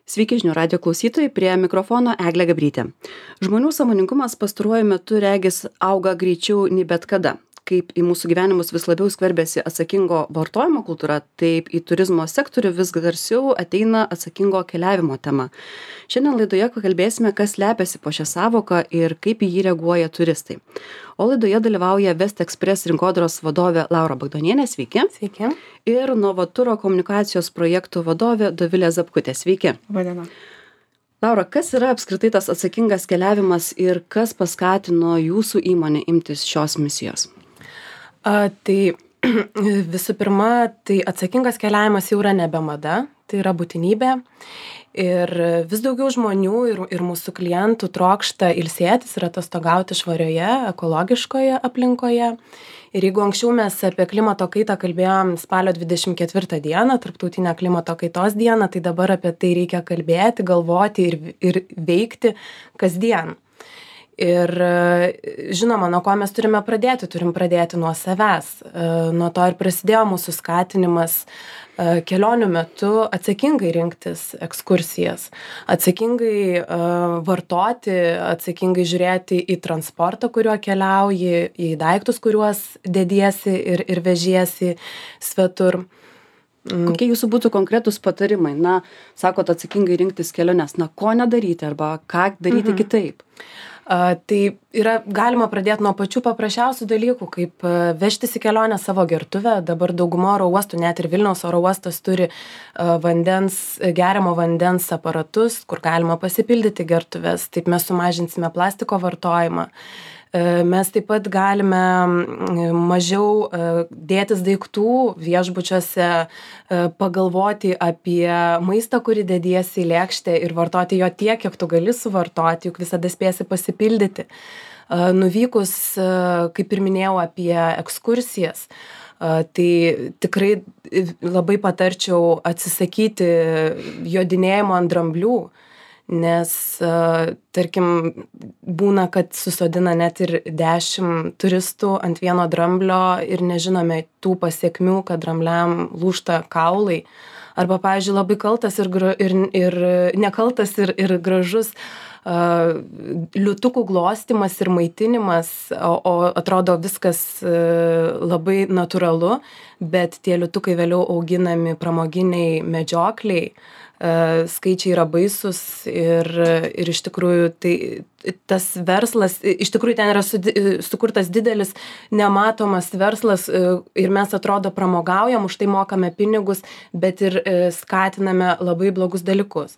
Sveiki žinių radijo klausytojai, prie mikrofono Eglė Gabrytė. Žmonių sąmoningumas pastaruoju metu regis auga greičiau nei bet kada. Kaip į mūsų gyvenimus vis labiau skverbiasi atsakingo vartojimo kultūra, taip į turizmo sektorių vis garsiau ateina atsakingo keliavimo tema. Šiandien laidoje pakalbėsime, kas slepiasi po šią savoką ir kaip į jį reaguoja turistai. O laidoje dalyvauja West Express rinkodaros vadovė Laura Bagdonienė, sveiki. Sveiki. Ir Novaturo komunikacijos projektų vadovė Dovilė Zapkutė, sveiki. Vadina. Laura, kas yra apskritai tas atsakingas keliavimas ir kas paskatino jūsų įmonę imtis šios misijos? Tai visų pirma, tai atsakingas keliavimas jau yra nebe mada, tai yra būtinybė. Ir vis daugiau žmonių ir mūsų klientų trokšta ilsėtis ir atostogauti švarioje, ekologiškoje aplinkoje. Ir jeigu anksčiau mes apie klimato kaitą kalbėjom spalio 24 dieną, tarptautinę klimato kaitos dieną, tai dabar apie tai reikia kalbėti, galvoti ir veikti kasdien. Ir žinoma, nuo ko mes turime pradėti? Turim pradėti nuo savęs. Nuo to ir prasidėjo mūsų skatinimas kelionių metu atsakingai rinktis ekskursijas, atsakingai vartoti, atsakingai žiūrėti į transportą, kuriuo keliauji, į daiktus, kuriuos dediesi ir vežiesi svetur. Kokie jūsų būtų konkretūs patarimai? Na, sakot, atsakingai rinktis keliones. Na, ko nedaryti arba ką daryti kitaip? Tai yra galima pradėti nuo pačių paprasčiausių dalykų, kaip vežtis į kelionę savo gertuvę. Dabar dauguma oro uostų, net ir Vilniaus oro uostas turi geriamo vandens aparatus, kur galima pasipildyti gertuves. Taip mes sumažinsime plastiko vartojimą. Mes taip pat galime mažiau dėtis daiktų viešbučiuose, pagalvoti apie maistą, kurį dediesi į lėkštę ir vartoti jo tiek, kiek tu gali suvartoti, juk visada spėsi pasipildyti. Nuvykus, kaip ir minėjau, apie ekskursijas, tai tikrai labai patarčiau atsisakyti jodinėjimo ant dramblių. Nes, tarkim, būna, kad susodina net ir 10 turistų ant vieno dramblio ir nežinome tų pasiekmių, kad drambliam lūžta kaulai. Arba, pavyzdžiui, labai kaltas ir nekaltas ir gražus liūtukų glostymas ir maitinimas, o atrodo viskas labai natūralu, bet tie liūtukai vėliau auginami pramoginiai medžiokliai. Skaičiai yra baisus ir iš tikrųjų tai tas verslas, iš tikrųjų ten yra sukurtas didelis nematomas verslas ir mes atrodo pramogaujam, už tai mokame pinigus, bet ir skatiname labai blogus dalykus.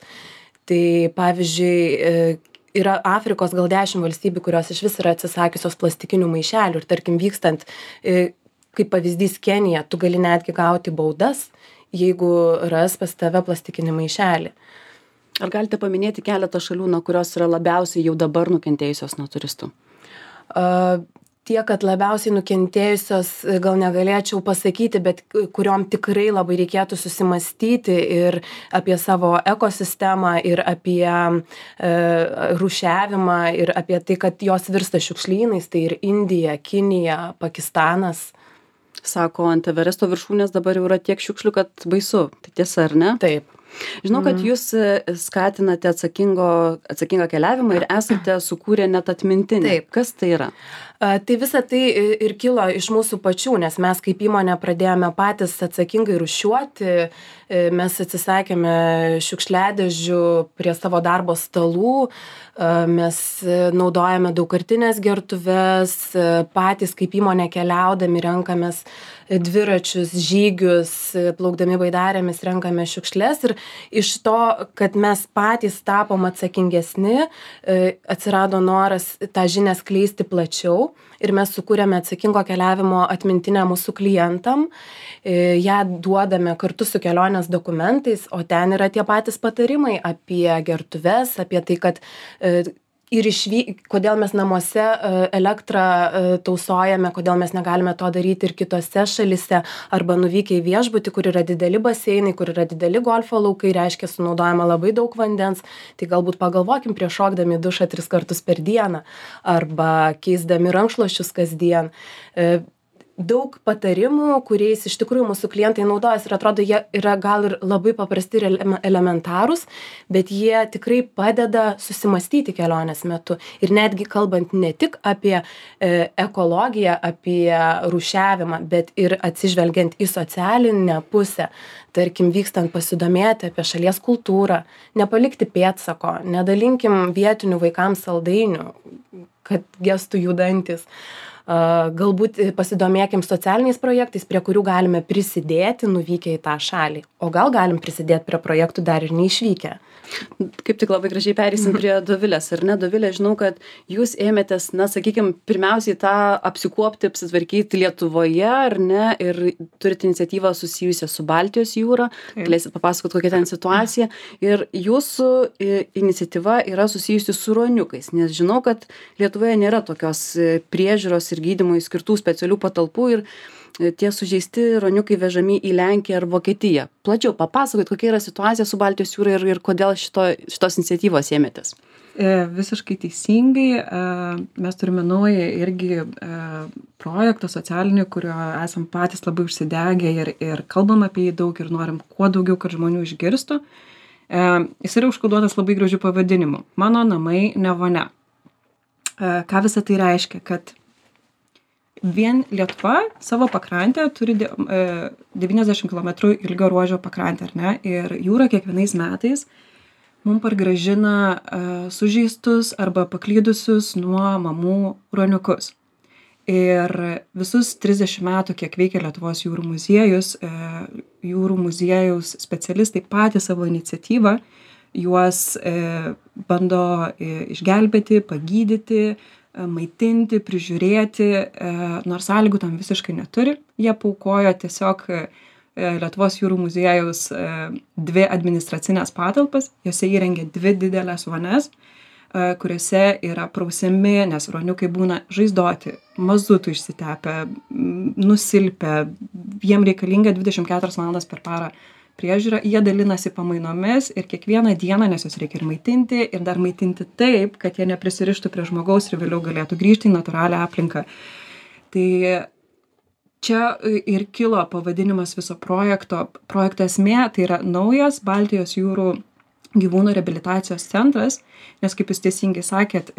Tai pavyzdžiui, yra Afrikos gal 10 valstybių, kurios iš vis yra atsisakiusios plastikinių maišelių ir tarkim vykstant, kaip pavyzdys Kenija, tu gali netgi gauti baudas, jeigu ras pas tave plastikinį maišelį. Ar galite paminėti keletą šalių, nuo kurios yra labiausiai jau dabar nukentėjusios nuo turistų? Tie, kad labiausiai nukentėjusios, gal negalėčiau pasakyti, bet kuriom tikrai labai reikėtų susimastyti ir apie savo ekosistemą, ir apie rūšiavimą, ir apie tai, kad jos virsta šiukšlynais, tai ir Indija, Kinija, Pakistanas. Sako, ant Everesto viršūnės dabar jau yra tiek šiukšlių, kad baisu. Tai tiesa, ar ne? Taip. Žinau, kad jūs skatinate atsakingą keliavimą ir esate sukūrę net atmintinę. Taip. Kas tai yra? Tai visa tai ir kilo iš mūsų pačių, nes mes kaip įmonė pradėjome patys atsakingai rūšiuoti, mes atsisakėme šiukšliadėžių prie savo darbo stalų, mes naudojame daugkartines gertuves, patys kaip įmonė keliaudami renkamės dviračius, žygius, plaukdami baidarėmis renkame šiukšles ir iš to, kad mes patys tapom atsakingesni, atsirado noras tą žinią skleisti plačiau ir mes sukūrėme atsakingo keliavimo atmintinę mūsų klientam, ją duodame kartu su kelionės dokumentais, o ten yra tie patys patarimai apie gertuves, apie tai, kad ir kodėl mes namuose elektrą tausojame, kodėl mes negalime to daryti ir kitose šalise, arba nuvykę į viešbutį, kur yra dideli baseinai, kur yra dideli golfo laukai, reiškia sunaudojama labai daug vandens, tai galbūt pagalvokim prieš šokdami į dušą 3 kartus per dieną, arba keisdami rankšluosčius kasdien. daug patarimų, kuriais iš tikrųjų mūsų klientai naudojasi ir atrodo, jie yra gal ir labai paprasti ir elementarūs, bet jie tikrai padeda susimastyti kelionės metu. Ir netgi kalbant ne tik apie ekologiją, apie rūšiavimą, bet ir atsižvelgiant į socialinę pusę, tarkim, vykstant pasidomėti apie šalies kultūrą, nepalikti pėdsako, nedalinkim vietinių vaikams saldainių, kad gestų jų dantis. Galbūt pasidomėkim socialiniais projektais, prie kurių galime prisidėti nuvykę į tą šalį. O gal galim prisidėti prie projektų dar ir neišvykę. Kaip tik labai gražiai pereisim prie Dovilės, ar ne? Dovilė, žinau, kad jūs ėmėtės, na, sakykime, pirmiausiai tą apsikuopti, apsitvarkyti Lietuvoje, ar ne? Ir turite iniciatyvą susijusią su Baltijos jūra. Galėsit papasakoti, kokia ten situacija. Ir jūsų iniciatyva yra susijusi su ruoniukais, nes žinau, kad Lietuvoje nėra tokios priežiūros ir gydymui skirtų specialių patalpų ir tie sužeisti ruoniukai vežami į Lenkiją ar Vokietiją. Plačiau papasakot, kokia yra situacija su Baltijos jūra ir kodėl šitos iniciatyvos ėmėtės. Visiškai teisingai. Mes turime naują irgi projektą socialinį, kurio esam patys labai užsidegę ir kalbam apie jį daug ir norim kuo daugiau, kad žmonių išgirstų. Jis yra užkoduotas labai gražiu pavadinimu. Mano namai ne vonia. Ką visą tai reiškia? Kad vien Lietuva savo pakrantę turi 90 km ilgio ruožo pakrantę, ar ne? Ir jūra kiekvienais metais mums pargrąžina sužeistus arba paklydusius nuo mamų ruoniukus. Ir visus 30 metų, kiek veikia Lietuvos jūrų muziejus, jūrų muziejaus specialistai patys savo iniciatyvą juos bando išgelbėti, pagydyti, maitinti, prižiūrėti, nors sąlygų tam visiškai neturi. Jie paaukojo tiesiog Lietuvos jūrų muziejaus 2 administracinės patalpas, jose įrengė 2 didelės vonias, kuriuose yra prausiami, nes ruoniukai būna žaizdoti, mazutų išsitepę, nusilpę, jiem reikalinga 24 valandas per parą priežiūra, jie dalinasi pamainomis ir kiekvieną dieną, nes juos reikia ir maitinti, ir dar maitinti taip, kad jie neprisirištų prie žmogaus ir vėliau galėtų grįžti į natūralią aplinką. Tai čia ir kilo pavadinimas viso projekto. Projekto esmė tai yra naujas Baltijos jūrų gyvūnų reabilitacijos centras, nes kaip jūs teisingai sakėt,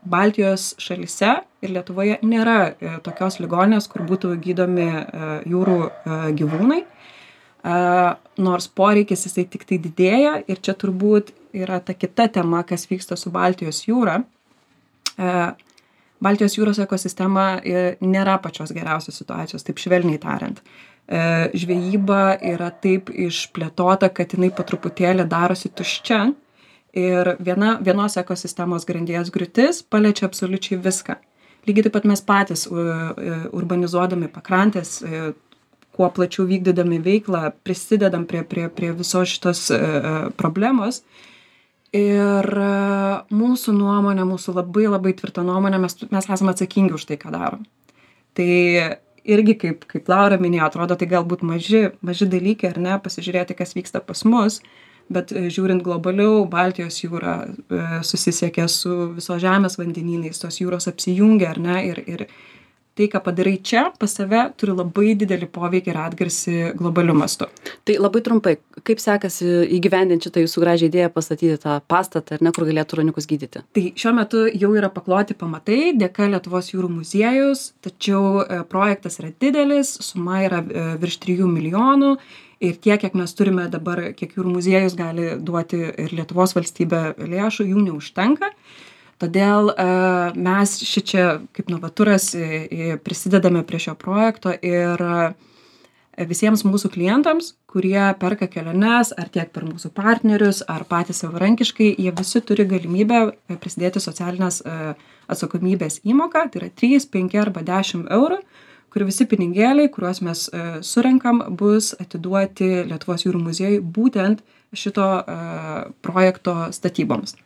Baltijos šalyse ir Lietuvoje nėra tokios ligoninės, kur būtų gydomi jūrų gyvūnai. Nors poreikis jisai tik tai didėja ir čia turbūt yra ta kita tema, kas vyksta su Baltijos jūra. Baltijos jūros ekosistema nėra pačios geriausios situacijos, taip švelniai tariant. Žvejyba yra taip išplėtota, kad jinai po truputėlį darosi tuščia ir vienos ekosistemos grandies griūtis paliečia absoliučiai viską. Lygiai taip pat mes patys urbanizuodami pakrantės, kuo plačiau vykdydami veiklą, prisidedam prie visos šitos problemos. Ir mūsų nuomonė, mūsų labai labai tvirta nuomonė, mes esame atsakingi už tai, ką darom. Tai irgi, kaip Laura minėjo, atrodo, tai galbūt maži dalykai, ar ne, pasižiūrėti, kas vyksta pas mus, bet žiūrint globaliau, Baltijos jūra susisiekia su viso žemės vandenynais, tos jūros apsijungia, ar ne, ir tai, ką padarai čia pas save, turi labai didelį poveikį ir atgarsį globaliu mastu. Tai labai trumpai, kaip sekasi įgyvendinti šitą jūsų gražią idėją pastatyti tą pastatą, ar ne, kur galėtų ruoniukus gydyti? Tai šiuo metu jau yra pakloti pamatai dėka Lietuvos jūrų muziejus, tačiau projektas yra didelis, suma yra virš 3 milijonų ir tiek, kiek mes turime dabar, kiek jūrų muziejus gali duoti ir Lietuvos valstybė lėšų, jų neužtenka. Todėl mes šičia kaip Novaturas prisidedame prie šio projekto ir visiems mūsų klientams, kurie perka keliones, ar tiek per mūsų partnerius, ar patys savarankiškai, jie visi turi galimybę prisidėti socialinės atsakomybės įmoką, tai yra 3, 5 arba 10 eurų, kur visi pinigėliai, kuriuos mes surenkam, bus atiduoti Lietuvos jūrų muziejui būtent šito projekto statyboms.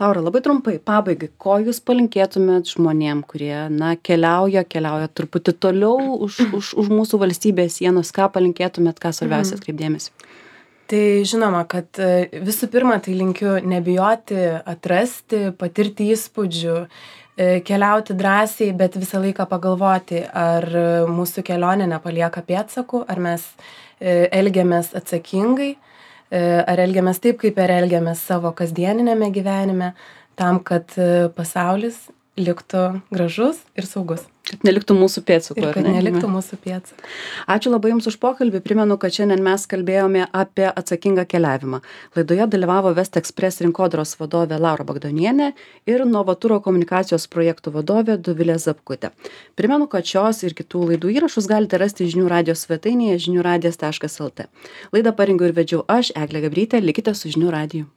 Laura, labai trumpai, pabaigai, ko jūs palinkėtumėt žmonėm, kurie, na, keliauja truputį toliau už mūsų valstybės sienos, ką palinkėtumėt, ką svarbiausia atkreipdėmėsi? Tai žinoma, kad visų pirma, tai linkiu nebijoti, atrasti, patirti įspūdžių, keliauti drąsiai, bet visą laiką pagalvoti, ar mūsų kelionė nepalieka pėdsakų, ar mes elgiamės atsakingai, ar elgiamės taip, kaip ir elgiamės savo kasdieninėme gyvenime, tam, kad pasaulis liktų gražus ir saugus. Kad neliktų mūsų pėdsakų. Ir kad neliktų mūsų pėdsakų. Ačiū labai Jums už pokalbį. Primenu, kad šiandien mes kalbėjome apie atsakingą keliavimą. Laidoje dalyvavo West Express rinkodaros vadovė Laura Bagdonienė ir Novaturo komunikacijos projektų vadovė Dovilė Zapkutė. Primenu, kad šios ir kitų laidų įrašus galite rasti žinių radijos svetainėje žiniųradijas.lt. Laidą parengiau ir vedžiau aš, Eglė Gabrytė. Likite su žinių radiju.